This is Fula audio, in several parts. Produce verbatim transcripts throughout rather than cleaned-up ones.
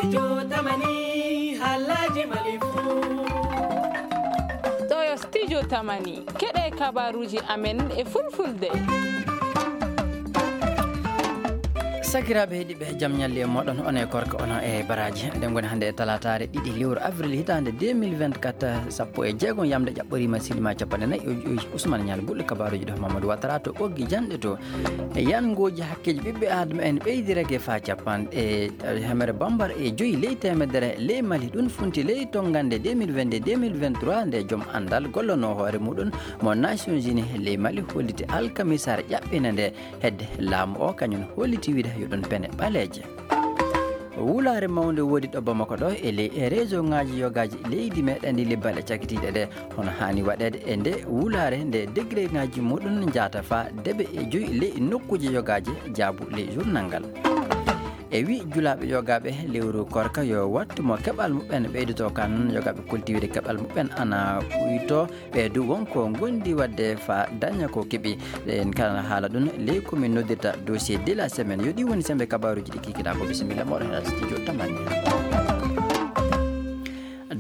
Studio Tamani, haalaaji Mali fuu. Ɗo yo Studio Tamani, keɗe kabaruuji amen e fulfulde. Sakiraaɓe heɗiiɓe, jam ñalli e moɗon, on e korka, on e baraaji. Eɗen ngoni hannde e talaataare ɗiɗi lewru avril hitaande deux mille vingt-quatre, sappo e jeegom yamde ƴaɓɓoriima, silima capanɗe nayi e joyi. Ousmane Ñal Bulɗo, kabaruuji ɗo Mamadou Ouattara to ɓoggi janɗe to. E yangooji hakkeeji ɓiɓɓe Aadama en ɓeydirake faa capanɗe, e, hemere bambar e joyi ley teemedere ley Mali. Ɗum funti ley tonngande deux mille vingt-deux deux mille vingt-trois, nde joom anndal gollonoo hoore muɗum mo Nations Unies ley Mali holliti alkamisaare ƴaɓɓinde nde. Hedde laamu o kañum holliti wiide yo ɗum pene ɓaleeje. Wulaare mawnde woodi ɗo Bamako ɗo e ley e région ŋaaji yogaaji leydi meɗen ndi, libbale cakitiiɗe ɗe, hono haani waɗeede e nde wulaare nde degré ŋaaji muɗum njaata faa debe e joyi ley nokkuuje yogaaji jaabu ley journal ngal. E wi julaaɓe yogaaɓe lewru korka yo wattu mo keɓal muɓɓen ɓeydoto kan, yogaaɓe kolti wiide keɓal muɓɓen ana ɓuyto. Ɓe du wonko ngondi waɗde faa daña ko keɓi. En kala haala ɗum ley ko min noddirta dossier de la semaine. Yo ɗi woni sembe kabaruuji ɗi kikiɗa ko. Bisimilla moɗon e studio Tamani.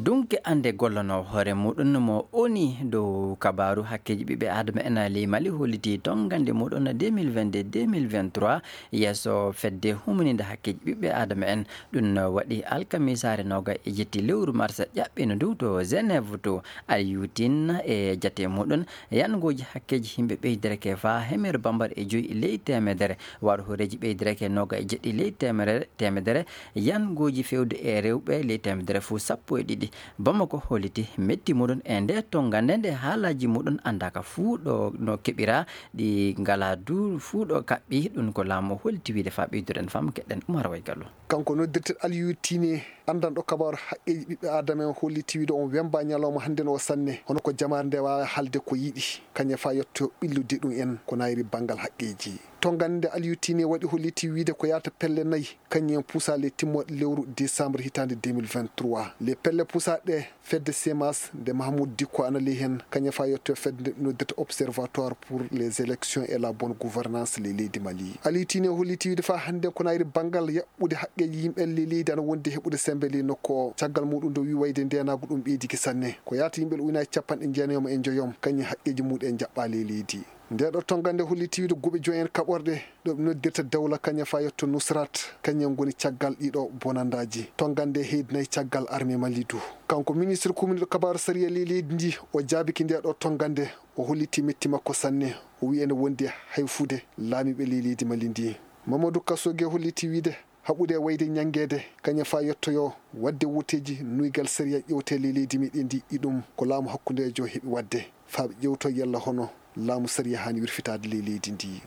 Dunke annde gollanoo hoore muɗum mo O N U dow kabaru hakkeeji ɓiɓɓe Aadama en ley Mali holliti tonngande muɗum deux mille vingt-deux deux mille vingt-trois yeeso fedde humaninde hakkeeji ɓiɓɓe Aadama en. Ɗum waɗi alkamisaare noga e jetti lewru mars ƴaɓɓino ndu to Genève to. Aliou Tine e jate muɗum, yangooji hakkeeji yimɓe ɓeydirake faa hemere bambar e joyi ley teemedere, waɗo hooreeji ɓeydirake noga e jeɗɗi ley teemere, teemedere, yangooji fewde e rewɓe ley teemedere fof sappo e ɗiɗi. Bamako holliti metti muɗum e nde tonngande nde haalaaji muɗum anndaaka fuu ɗo no keɓira, ɗi ngalaa du fuu ɗo kaɓɓi. Ɗum ko laamu holliti wiide faa ɓeyduren fam keɗen Umar Way Gallo. Kanko noddirteɗo Aliou Tine, anndanɗo kabaaru haqqeeji ɓiɓɓe Aadama en, holliti wiide on wemba ñalawma hannden o sanne, hono ko jamaare nde waawa haalde ko yiɗi, kañum faa yetto ɓillude ɗum en ko nayri banngal haqqeeji. Tonngande nde Aliou Tine waɗi holliti wiide ko yaata pelle nayi, kañum en puusaa le timmooɗe lewru décembre hitaande deux mille vingt-trois. Le pelle puusaaɗe fedde semas nde Mahmoud Dicko ana ley heen, kañum faa yetto fedde nde noddirta Observatoire pour les élections et la bonne gouvernance ley leydi Mali. Aliou Tine holliti wiide faa hannden ko nayri banngal ɓude haqqeeji yimɓe ley leydi ana wondi heɓude semmbe ley nokku o. Caggal muɗum nde o wi wayde ndeenaagu ɗum ɓeydike sanne. Ko yaata yimɓe ujunaaji capanɗe jeenayom e njoyom, kañum haqqeeji muɗum en njaɓɓaa ley leydi. Nde ɗo tonngande holliti wiide guuɓe joyi en kaɓorɗe, ɗo ɓe noddirta Dawla kañum faa yetto Nusrat, kañum ngoni caggal ɗiɗo bonandaaji. Tonngande heydinayi caggal armée Mali du. Kanko ministre kuminɗo kabaaru sariya ley leydi ndi, o jaabiki nde ɗo tonngande, o holliti metti makko sanne. O wi ene wondi hayfude laamiiɓe ley leydi Mali ndi. Mamadou Kassogué holliti wiide haɓude e wayde ñanngeede, kañum faa yettoyoo waɗde wooteeji nuygal sariya ƴewte ley leydi meɗen ndi, iɗum ko laamu hakkundeejo heɓi waɗde, faa ɓe ƴewto yalla hono laamu sariya haani wirfitaade ley leydi ndi.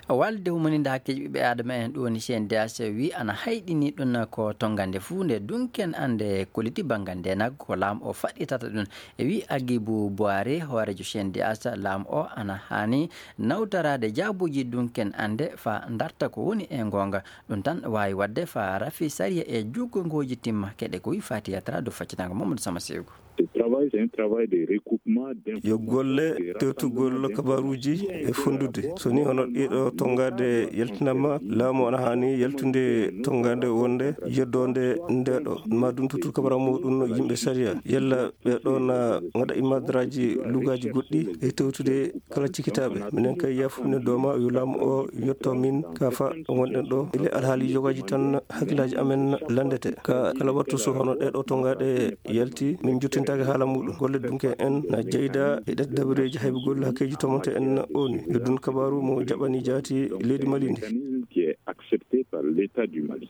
Walde humaninde hakkeeji ɓiɓɓe Aadama en ɗum woni C N D H wi ana hayɗini ɗum ko tonngande fuu nde dunken annde koliti banngal ndeenaagu ko laamu o faɗɗitata ɗum. E wi Agibu Boire, hooreejo C N D H, laamu o ana haani nawtoraade jaabuuji dunken annde faa darta ko woni e ngoonga. Ɗum tan waawi waɗde faa rafi sariya e juggongooji timma. Keɗe ko wi Fatiya Tra dow faccitaango Mamadou Sama Sewgo. Ce travail, c'est un travail de recoupement d'informations, yo golle de tewtugol rassemblement kabaruuji e fondude. So ni hono ɗiɗo tongaade yaltinama, laamu ana haani yaltude tongaade wonde yeddoonde ndeɗo, ma ɗum tottude kabara muɗum yimɓe sariya. Yalla ɓe ɗo na ngaɗa imadraji lugaaji goɗɗi e tewtude kala cikitaaɓe. Minen kay yafude dooma yo laamu o yetto min ka fa wonɗen ɗo. Ile alhaali yogaaji tan hakkillaaji amen lanndete. Ka kala wattu so hono ɗeɗo tongaɗe yalti, min jottintaake haala muɗum. Golle dunke en na jeyda e ɗe dabareeji haybugol hakkeeji tomonte en O N U. Yo ɗum kabaaru mo jaɓani jaati leydi Mali ndi. Mécanisme qui est accepté par l'État du Mali.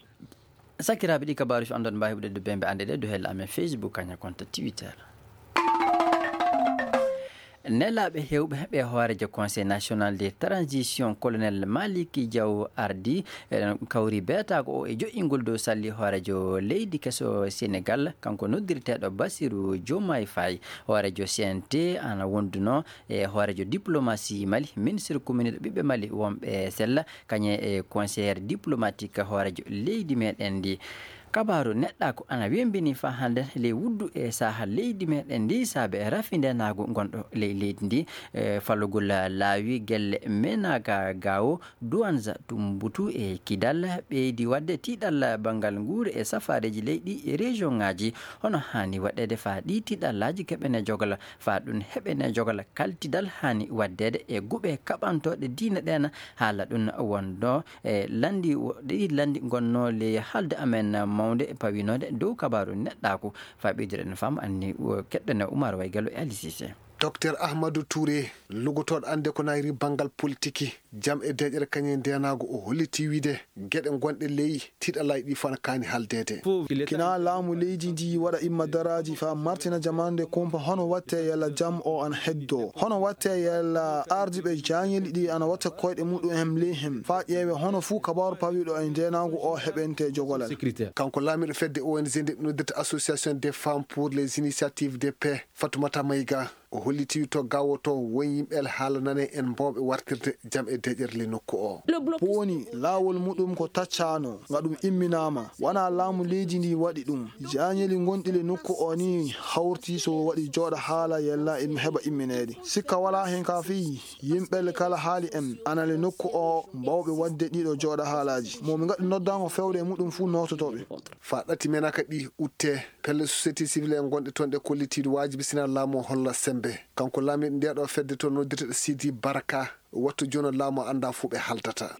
Sakiraaɓe, ɗi kabaaruuji on ɗon mbaawi heɓude dow bembe annde ɗe dow hella amen Facebook, kaña compte Twitter. Nelaaɓe heewɓe ɓe hooreejo Conseil National de Transition, Colonel Maliki Diaw Ardi, eɗen kawri beetaago o e joƴƴingol dow salli hooreejo leydi keso Senegal, kanko noddirteeɗo Bassirou Diomaye Faye. Hooreejo C N T ana wonduno e hooreejo diplomatie Mali, ministre kuminɗo ɓiɓɓe Mali wonɓe sella, kañum e conseillère diplomatique hooreejo leydi meɗen ndi. Kabaaru neɗɗaaku ana wembini faa hannde ley wuddu e saha leydi meɗen ndi saabe rafi ndeenaagu ngonɗo ley leydi ndi. E falugol laawi gelle menaga gawo duwanza tumbutu e kidal ɓeydi waɗde tiiɗal banngal nguure e safaareeji leydi e région ŋaaji. Hono haani waɗeede faa ɗi tiiɗallaaji keɓene jogal faa ɗum heɓene jogal kaltidal haani waɗdeede e guɓe kaɓantooɗe diine ɗen haala ɗum wonno e lanndi ɗi lanndi ngonnoo ley haalde amen mawnde e pawinoode dow kabaaru neɗɗaaku. Faa ɓeyduɗen fam anni keɗɗen Umar Waygallo e Ali Sise. Docteur Ahmadou Touré, lugotooɗo annde ko nayri banngal politiki, jam e deeƴere kañum e ndeenaagu, o hollitii wiyde geɗe gonɗe ley tiiɗallaaji ɗi fof ana kaani haaldeede. Kina laamu leydi ndi waɗa imma daraaji faa martina jamaande kumpa hono watte yalla jam o ana heddo. Hono watte yalla ardiiɓe jaañeli ɗi ana watta koyɗe muɗum hem ley hem faa ƴeewe hono fuu kabaaru pawiiɗo e ndeenaagu o heɓente jogolal. Kanko laamiiɗo fedde O N G nde ɓe noddirta Association des Femmes pour les Initiatives de Paix, Fatoumata Maïga, o hollitii to gawo to won yimɓe haalanane en mbawɓe wartirde jam e deeƴere le nokku o. Ko woni laawol muɗum ko taccaano, nga ɗum imminaama. Wonaa laamu leydi ndi waɗi ɗum. Jaañeli gonɗi le nokku o ni hawti so waɗi jooɗa haala yella im heɓa immineede. Sikka walaa hen ka fii yimɓe le kala haali en ana le nokku o mbawɓe waɗde ɗiɗo jooɗa haalaaji. Mo mi ngaɗi noddango fewde e muɗum fuu noototooɓe. Faa ɗati menaka ɗi utte, pelle société civile en gonɗe toon ɗe kollitiiɗo waajibi sina laamu o holla sembe. Kanko laamiiɗo ndeeɗo fedde to noddirteɗo Sidi Baraka, wattu jono laamu o annda fuu ɓe haldata.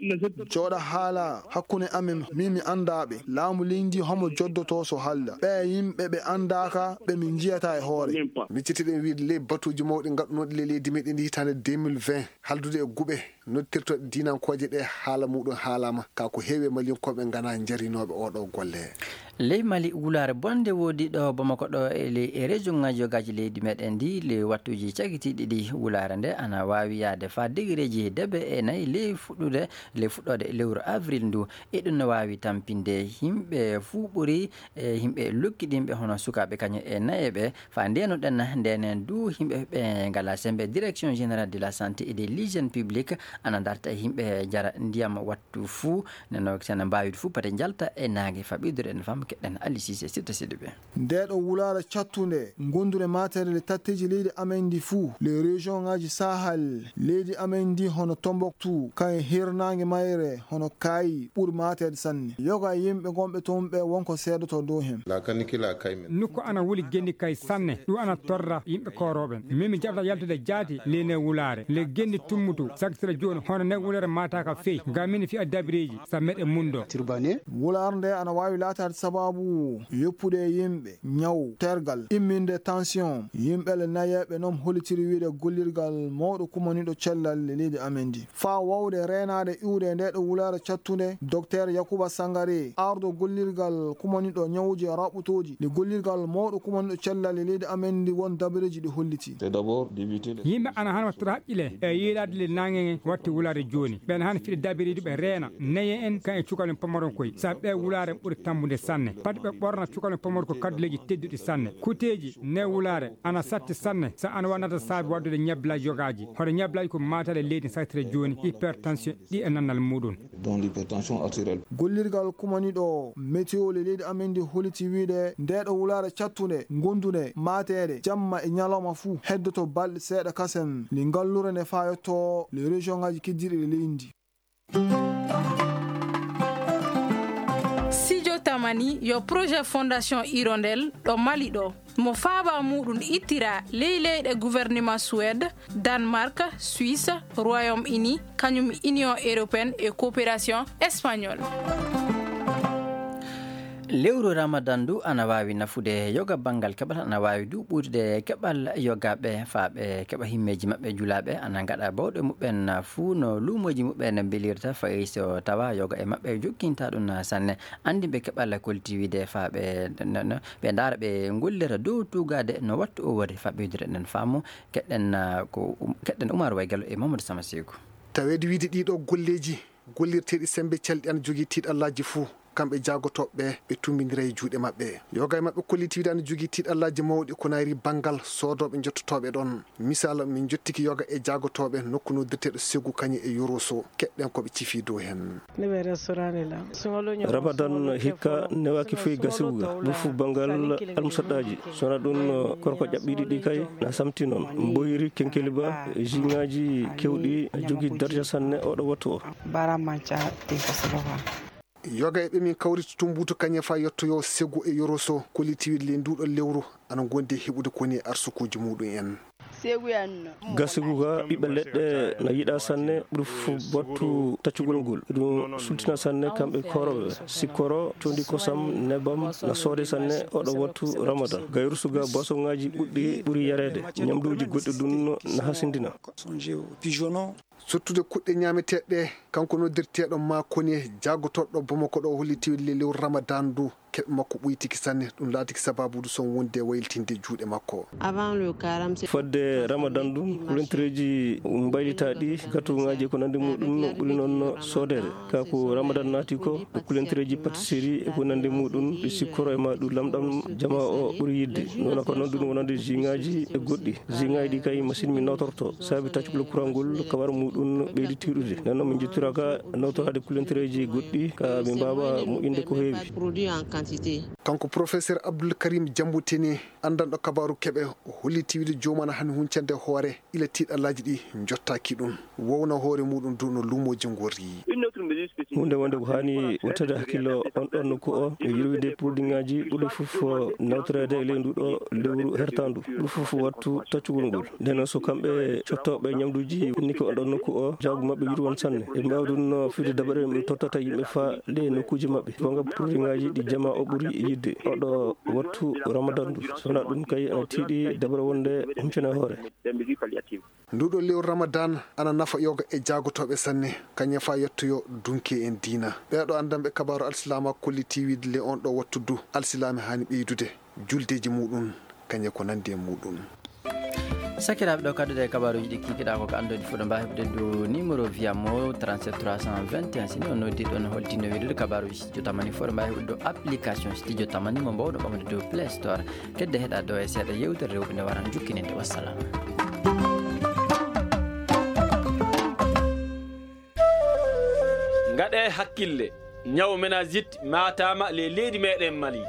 Jooɗa haala hakkunde amen, min mi annda ɓe. Laamu leydi homo joddoto so halda. Ɓe yimɓe ɓe anndaaka, ɓe min njiyata e hoore. Miccitiɗen wiide ley batuuji mawɗi gaɗunooɗi ley leydi meɗen ndi hitaande deux mille vingt, haldude e guɓe noddirtooɗe diinankooje ɗe haala muɗum haalaama, ka ko heewi e Maliyankooɓe ngana njarinooɓe oo ɗoo golle. Ley Mali, wulaare bonde woodi ɗo Bamako ɗo e ley e région ŋaaji yogaaji leydi meɗen ndi, ley wattuuji cagitiiɗi ɗi wulaare nde ana waawi yahde faa degereeji debe e nayi ley fuɗɗude, ley fuɗɗoode lewru avril ndu. E ɗum no waawi tampinde yimɓe fuu ɓuri e yimɓe lukkidinɓe hono sukaaɓe kañum e nayeeɓe. Faa ndeenuɗen ndeenen du yimɓe ɓe ngalaa sembe. Direction générale de la santé et de l'hygiène publique ana darta e yimɓe jara ndiyam wattu fuu, neno sena mbaawi fuu pati njalta e naange. Faa ɓeyduɗen fam keɗɗen Ali Sise sitta siɗi ɓe. Nde ɗo wulaare cattunde gondure maatere le tatteeji leydi amen ndi fuu, le région ŋaaji Sahel, leydi amen ndi hono Tombouctou, kañum hirnaange mayre hono Kaayi ɓuri maateede sanne. Yoga e yimɓe gonɓe toon ɓe wonko seedoto dow heen. Nokku ana wuli genni kay sanne, ɗum ana torra yimɓe koorooɓe. Min mi jaɓata yaltude jaati ley ne wulaare. Le genni tummutu, saktira jooni, hono ne wulaare maataaka fey. Ngam min fiya dabireeji, sa meɗe mundo. Wulaare nde ana waawi laataade sabaabu yoppude e yimɓe, ñaw, tergal, imminde tension. Yimɓe le nayeeɓe noon hollitiri wiide gollirgal mawɗo kumaniiɗo cellal leydi amen ndi. Faa wawde reenaade iwde e nde ɗo wulaare cattunde, Docteur Yakuba Sangare, ardo gollirgal kumaniiɗo ñawuuji e raɓɓutooji, nde gollirgal mawɗo kumaniiɗo cellal e leydi amen ndi won dabareeji ɗi holliti. Yimɓe ana han wattata haqqile e yiilaade le naange nge watti wulaare jooni. Ɓen han fiɗe dabareeji ɓe reena, neye en kan e cukalon pamaron koy. Sa ɓe wulaare ɓuri tambude sanne. Pati ɓe ɓorna cukalon pamaro ko kadduleeji tedduɗi sanne. Kuteeji ne wulaare ana satti sanne, sa ana wannata saabi waddude ñabbila yogaaji. Hono ñabbila ko maataɗe leydi saktire jooni, hypertension, ɗi e nannal muɗum. Dont l'hypertension artérielle. Gollirgal kumaniiɗo météo le leydi amen ndi holliti wiide nde ɗo wulaare cattunde, gondunde, maateede, jamma e ñalawma fuu, heddoto balɗe seeɗa kasen, nde ngallure nde fayotto le région ŋaaji keddiiɗi ɗe leydi ndi. Sijo Tamani yo projet Fondation Hirondelle ɗo Mali ɗo. Mo faaba muɗum ittira ley leyɗe gouvernement Suède, Danemark, Suisse, Royaume-Uni, kañum Union Européenne e Coopération Espagnole. Lewru Ramadan ndu ana waawi nafude yoga banngal keɓal, ana waawi du ɓurtude keɓal yogaaɓe faa ɓe keɓa himmeeji maɓɓe julaaɓe, ana ngaɗa bawɗe muɓɓen fuu no luumooji muɓɓen mbelirta, fayi so tawa yoga e maɓɓe jokkinta ɗum sanne. Anndinɓe keɓal kolti wiide faa ɓe, no, no, ɓe ndaara ɓe ngollira dow tuugaade no wattu o wori. Faa ɓeydude ɗen faamu, keɗɗen, ah, ko, um, keɗɗen Umar Waygallo e Mamadou Sama Seeku. Taweede wiide ɗii ɗoo golleeji gollirteeɗi semmbe calɗi ana jogii tiiɗallaaji fuu. Kamɓe jaagotooɓe ɓe, ɓe tumbindiray juuɗe maɓɓe. Yoga e maɓɓe kolliti wiide ana jogii tiiɗallaaji mawɗi ko naayri banngal soodooɓe njottotooɓe ɗon. Misal, min njottiki yoga e jaagotooɓe nokku noddirteeɗo Segu Kañe e Yoroso. Keɗɗen ko ɓe cifi dow heen. Ramadan hikka newaaki foy gasigu ga, ɗum fof banngal almusaɗɗaaji. So wonaa ɗum, korko ƴaɓɓiiɗi ɗi kay na samti noon. Mboyri, kenkeliba, jiŋaaji kewɗi, jogii darja sanne oɗo wattu o. Yoga e ɓe min kawriti Tumbutu Kañe faa yettoyoo Segu e Yoroso, kolliti wiide le nduuɗo lewru ana ngondi e heɓude ko woni arsukuuji muɗum en. Gasigu ga ɓiɓɓe leɗɗe na yiɗa sanne, ɓuri fof wattu taccugol ngol. Ɗum sultina sanne kamɓe koorooɓe. Sikkoro, condi kosam, nebam na soode sanne oɗo wattu Ramadan. Gayrusu ga boisonŋaaji ɓuɗɗi ɓuri yareede. Ñamduuji goɗɗi ɗum na hasindina. Sottude kuɗɗe ñaameteeɗe, kanko noddirteeɗo Makone, jaagotooɗo Bamako ɗo, holli tiwille lewru Ramadan ndu, keɓe makko ɓuytiki sanne. Ɗum laatiki sababu ndu son wonde waylitinde juuɗe makko. Fodde Ramadan ndu, kulentereeji mbaylitaa ɗi, gatuŋaaji e ko nanndi muɗum ɓuri noon soodeede. Kaa ko Ramadan naati ko, kulentereeji pâtisserie e ko nanndi muɗum, ɗi sikkoro e ma ɗum lamɗam jama o ɓuri yiɗde. Noon ko noon ɗum wonande jiŋaaji e goɗɗi. Jiŋaaji ɗi kay machine min nawtorto, sabi taccugol courant ngol kawar muɗum ɓeydi tiiɗude. Nden noon min njottiraka nawtoraade kulentereeji goɗɗi, ka min mbaawa moƴƴinde ko heewi. Kanko professeur Abdoul Karim Diamboutene, anndanɗo kabaaru keɓe, o holliti wiide joomum ana hani huncande hoore ila tiiɗallaaji ɗi njottaaki ɗum. Wowna hoore muɗum du no luumooji ngorri. Huunde wonde ko haani wattade hakkillo on ɗon nokku o, e yurwide produitŋaaji ɓurɗi fof nawtoreede e ley ndu ɗo lewru hertaandu. Ɓuri fof wattu taccugol ngol. Nden noon so kamɓe cottooɓe ñamduuji niki on ɗon nokku o, jaagu maɓɓe yurwan sanne. E mbaawi ɗum no fiyde dabareeji ɗi tottata yimɓe faa ley nokkuuji maɓɓe. Wonga produitŋaaji ɗi jama o ɓuri yiɗde. Oɗo wattu Ramadan ndu. So wonaa ɗum kay ana tiiɗi dabare wonde huncane hoore. Nduɗo lewru Ramadan ana nafa yoga e jaagotooɓe sanne, kañe faa yettoyo dunke en diina. Ɓeeɗo anndanɓe kabaaru alsilaama kolliti wiide le on ɗo wattu du alsilaami haani ɓeydude juldeeji muɗum, kañe ko nanndi e muɗum. Sakiraaɓe, ɗo kadduɗe e kabaaruuji ɗi kikiɗaa ko ko anndude fuɗo mbaawi heɓde du numéro via mo trente-sept trois cent vingt et un. Si ni on noddi ɗon holtino wiidude kabaaruuji Studio Tamani fuɗo mbaawi heɓde dow application Studio Tamani mo mbawɗo ɓamde dow Play Store. Kedde heɗa ɗo e seeɗa yewtere rewɓe nde waran jukkininde. Wassalam. Ngaɗee hakkille, ñaw meningite maataama ley leydi meɗen Mali.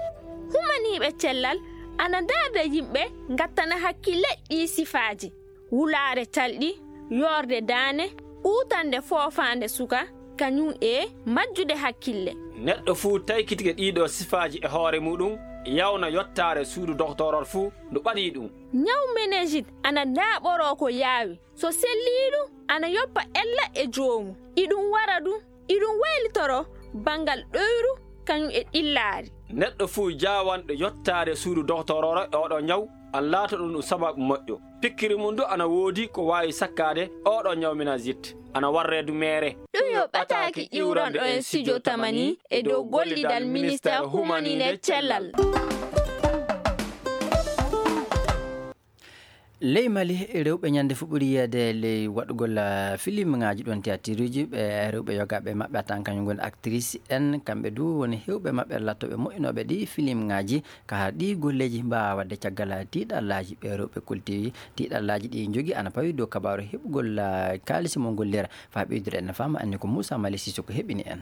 Humaniiɓe cellal ana ndaarda yimɓe ngattana hakkille ɗii sifaaji: wulaare calɗi, yoorde daane, uutande foofaande suka, kañum e majjude hakkille. Neɗɗo fuu taykitike ɗiiɗo sifaaji e hoore muɗum, yawna yottaare suudu doktoorol fuu ndu ɓadii ɗum. Ñaw meningite ana ndaaɓoroo ko yaawi. So selliiɗum, ana yoppa ella e joomum. Iɗum wara ɗum, iɗum waylitoroo banngal ɗoyru kañum e ɗillaari. Neɗɗo fuu jaawanɗo yottaade suudu doktoororo e oɗo ñaw, ana laata ɗum ɗum sababu moƴƴo. Pikkiri mum du ana woodi ko waawi sakkaade oɗo ñaw meningite, ana warree du meere. Ɗum yo ɓataaki iwranɗo en Studio Tamani e dow gollidal Ministeer Humaniiɓe Cellal. Ley Mali, rewɓe ñande fof ɓuri yiyeede ley waɗugol, ah, filimŋaaji ɗon théâtreji. Ɓe rewɓe yogaaɓe maɓɓe a tawan kañum ngoni actrice en, kamɓe du woni heewɓe maɓɓe lattooɓe moƴƴinooɓe ɗi filimŋaaji. Ka ɗi golleeji mbaawa waɗde caggal, ah, tiiɗallaaji ɓe rewɓe kolti, tiiɗallaaji ɗi njogii ana pawi dow kabaaru heɓugol, ah, kaalisi mo gollira. Faa ɓeydude en faama anni ko Moussa Mali Sissoko heɓini en.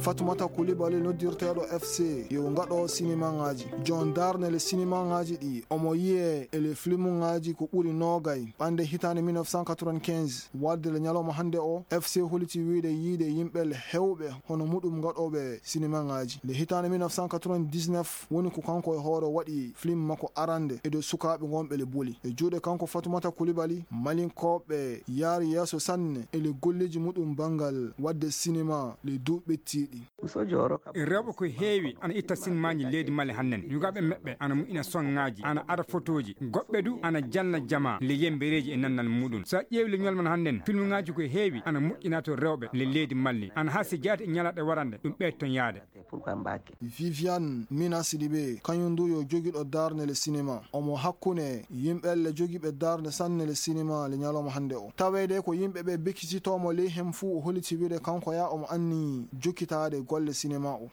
Fatumata Kulibali noddirteeɗo F C yo ngaɗo sinimaŋaaji. Jon darnde le sinimaŋaaji ɗi omo yiyee e le filimuŋaaji ko ɓuri noogay ɓande hitaande mille neuf cent quatre-vingt-quinze. Waɗde le ñalawma hannde o, F C holiti wiide yiide yimɓe le heewɓe hono muɗum ngaɗooɓe sinimaŋaaji. Le hitaande mille neuf cent quatre-vingt-dix-neuf woni ko kanko e hoore waɗi film makko arande e dow sukaaɓe ngonɓe le boli. E juuɗe kanko Fatumata Kulibali, Malinkooɓe yaari yeeso sanne e le golleeji muɗum banngal waɗde sinima le duuɓi ɓettiiɗi. Rewɓe ko heewi ana itta sinimaaji leydi Mali hannden. Yugaaɓe maɓɓe ana moƴƴina songaaji, ana ada fotooji. Goɗɓe du ana janna jamaa le yembereeji e nannal muɗum. So a ƴeewi le ñol man hannden, filmuŋaaji ko heewi ana moƴƴina to rewɓe le leydi Mali. Ana haa si jaati e ñalaaɗe warande, ɗum ɓeydi ton yaade. Viviane Mina Sidibe, kañum du yo jogiɗo darnde le sinema. Omo hakkunde yimɓe le jogiiɓe darnde sanne le sinema le ñalawma hannde o. Taweede ko yimɓe ɓe bekkititoomo ley heen fuu, o holiti wiide kanko ya omo anni jokkitaade golle sinema o.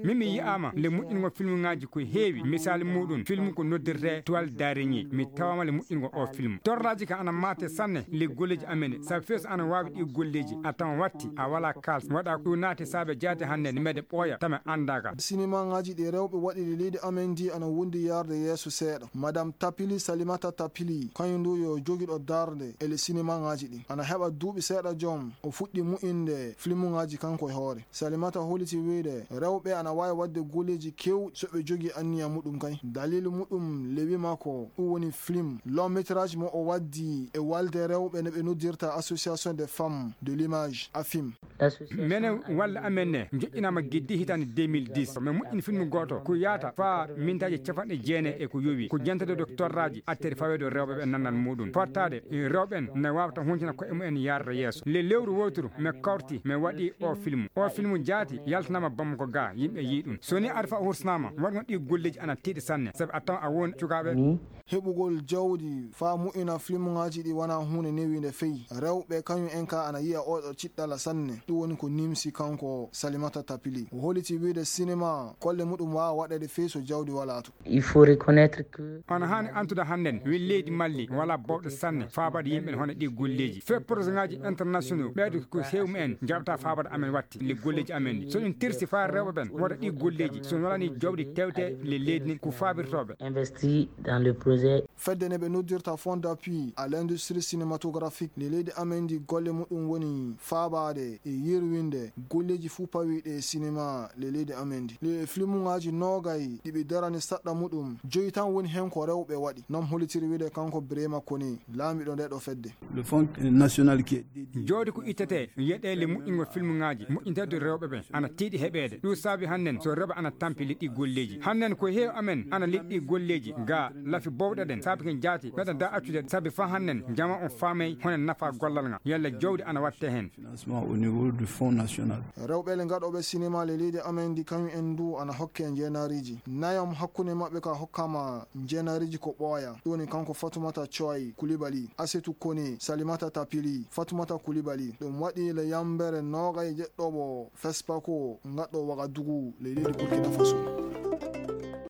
Min mi yi'aama le moƴƴingol filmuŋaaji ko heewi. Misaali muɗum, film ko noddirtee Toile d'araignée. Mi tawaama le moƴƴingol o film. Torraaji ka ana maate sanne le golleeji amen. Sabu fees ana waawi ɗi golleeji. A tawa watti, a wala kals. Waɗa ko naati saabe jaate hannde ne mede ɓooya, tama anndaaka. Sinimaaŋaaji ɗi rewɓe waɗi ɗi leydi amen ndi ana wondi yarde yeeso seeɗa. Madame Tapili, Salimata Tapili, kañum du yo jogiɗo darnde e le sinimaaŋaaji ɗi. Ana heɓa duuɓi seeɗa joom, o fuɗɗi mu'inde filmuŋaaji kanko e hoore. Salimata holiti wiide, rewɓe ana waawi waɗde golleeji keewɗi so ɓe jogii anniya muɗum kay. Daliilu muɗum le wi makko, ɗum woni film. Long métrage mo o waddi e walde rewɓe ne ɓe noddirta Association des Femmes de l'Image, afim. Menen walla amen ne joƴƴinaama giddi hitaande deux mille dix. Min moƴƴini film gooto ko yaata faa mintaaji capanɗe jeenayi e ko yowi. Ko jentede ɗo torraaji attiri faweede rewɓe ɓe nannal muɗum. Fottaade, e, rewɓe en ne waawata huncina koye mumen yarde yeeso. Le lewru wooturu, mi kawti, mi waɗi o film. O film jaati, yaltanaama Bamako ga, yimɓe yii ɗum. So ni ari fa hursanaama, waɗgol ɗi golleeji ana tiiɗi sanne, sabu a tawa a won cukaaɓe. Heɓugol jawdi faa moƴƴina filmuŋaaji ɗi wanaa huunde newiinde fey. Rewɓe kañum en ka ana yi'a oɗo ciɗɗala sanne. Ɗum woni ko nimsi kanko Salimata Tapili. O holiti wiide sinema kolle muɗum waawa waɗeede fey so jawdi walaa to. Il faut reconnaître que on haani antude hannden wi leydi Mali wala bowɗe sanne faabaade yimɓe hono ɗi golleeji. Fee projetŋaaji internationaux ɓeydo ko heewi mumen jaɓata faabaade amen watti le golleeji amen ɗi. So ɗum tirsi faa rewɓe ɓen waɗa ɗi golleeji, so walani jawdi tewte le leydi ndin ko faabirtooɓe. Investi dans le projet. Fedde ne ɓe noddirta Fonds d'appui à l'industrie cinématographique le leydi amen ndi golle muɗum woni faabaade e yirwinde golleeji fuu pawiiɗe e sinema le leydi amen ndi. Le filmuŋaaji noogay ɗi ɓe darani saɗɗa muɗum, joyi tan woni heen ko rewɓe waɗi. Noon holitiri wiide kanko Birema Kone, laamiɗo nde ɗo fedde. Le Fonds national qui est dédié. Jawdi ko ittete yeɗeele moƴƴingol filmuŋaaji, moƴƴinteede rewɓe ɓe, ana tiiɗi heɓeede. Ɗum saabi hannden so rewɓe ana tampi liɗɗi golleeji. Hannden ko heewi amen ana liɗɗi golleeji ga lafi bowɗe ɗen. Saabi ken jaati, meɗen da accude saabi faa hannden jama on faamay hono nafa gollal ngal. Yalla jawdi ana watte heen. Financement au niveau du Fonds national. Rewɓe le ngaɗooɓe sinema le leydi amen ndi kañum en du ana hokke njeenaariji. Nayam hakkunde maɓɓe ka hokkama njeenaariji ko ɓooya. Ɗum woni kanko Fatumata Coy Kulibali, Asetu Kone, Salimata Tapili, Fatumata Kulibali. Ɗum waɗi le yambere noogay e jeɗɗoɓo Fespako ngaɗɗo Wagadugu le leydi Burkina Faso.